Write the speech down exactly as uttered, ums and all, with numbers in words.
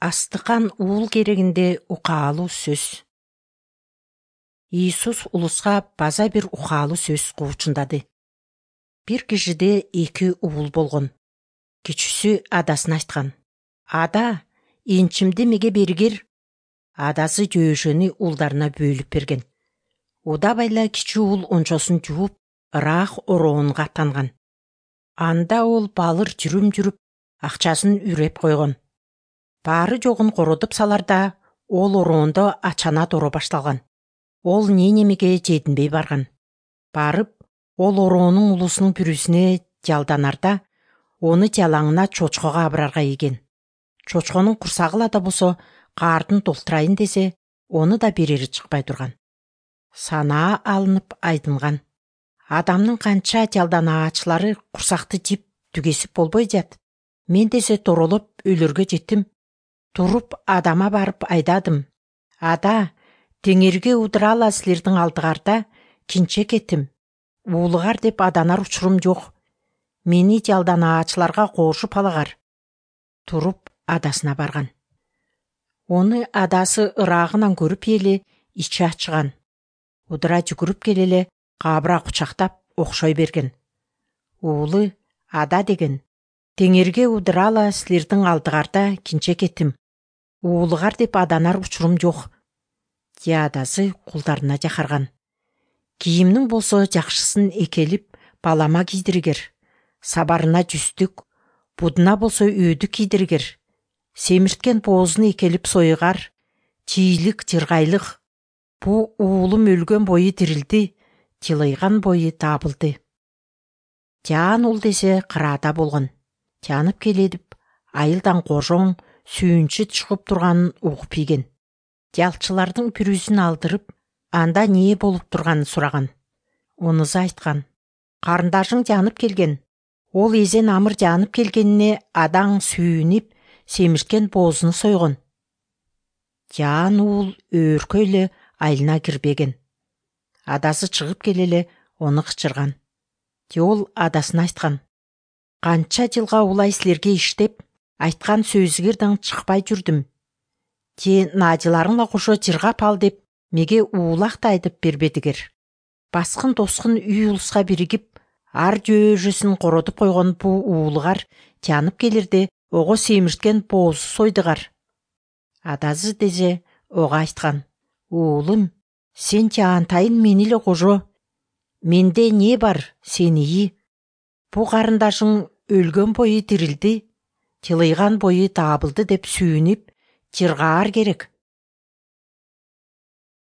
Астыкан уул керегинде укаалуу сөз. Иисус улуска база бир укаалуу сөз куучундады. Бир кишиде эки уул болгон. Кичүүсү адасына айткан: "Ада, энчимди меге бергир." Адасы жөөшөнү уулдарына бөлүп берген. Удабайла кичүү уул ончосун жууп, ыраак ороонго аттанган. Анда ол балыр жүрүм жүрүп, акчасын үреп койгон. Баары жогун кородуп саларда, ол ороондо ачана доро башталган. Ол ненемеге жетинбей барган. Барып, ол ороонун улусунун бүрүсүнө жалданарда, оны жалаңына чочкого абырарга ийген. Чочконун курсагыла да болсо каардын толтурайын десе, оны да берери чыкпай турган. Санаа алынып айдынган. Адамдын канча жалданаачылары курсакты жип түгесип болбой жат. Мен десе торолоп өлөргө жеттим. Туруп адама барып айдадым: "Ада, теңирге удурала силердин алдыгарда кинче кеттим. Уулугар деп аданар учурум жок. Мени жалданаачыларга кошуп алагар." Туруп адасына барган. Оны адасы ыраагынан көрүп эле ичи ачыган. Удура жүгүрүп келеле кабыра кучактап окшой берген. Уулу ада деген: "Теңирге удурала силердин алдыгарда кинче кеттим. Уулугар деп аданар учурум жок." Же адасы кулдарына жакарган: "Кийимниң болсо жакшысын экелип, балама кийдиргер. Сабарына жүстүк, будуна болсо өөдүк кийдиргер. Семирткен боозун экелип сойгар, чийлик, жыргайлык. Бу уулум өлгөн бою тирилди, тилыйган бою табылды." Жаан уул десе кыраада болгон. Жанып келедип, айылдан кожоң, сүйүнчү чыгып турганын угуп ийген. Жалчылардын бүрүсүн алдырып, анда эмне болуп турганын сураган. Онузу айткан: "Карындашың жанып келген. Ол эзен амыр жанып келгенине адаң сүйүнүп, семирткен боозуну сойгон." Жаан уул өөркөйлө айылына кирбеген. Адасы чыгып келеле ону кычырган. Же ол адасына айткан: "Канча жылга улай силерге иштеп, айткан сөзүңөрдөн чыкпай жүрдүм. Же наажыларыңла кошо жыргап ал деп меге уулак да айдып бербедиңер? Баскын тоскун үй улуска биригип, ар жөөжөсүн кородуп койгон бу уулугар жанып келирде ого семирткен боозу сойдугар." Адасы десе ого айткан: "Уулум, сен жаантайын мени эле кожо. Менде эмне бар, сен ии. Бу карындашың өлгөн бою тирилди, тилыйган бою табылды деп сүйүнүп, жыргаар керек.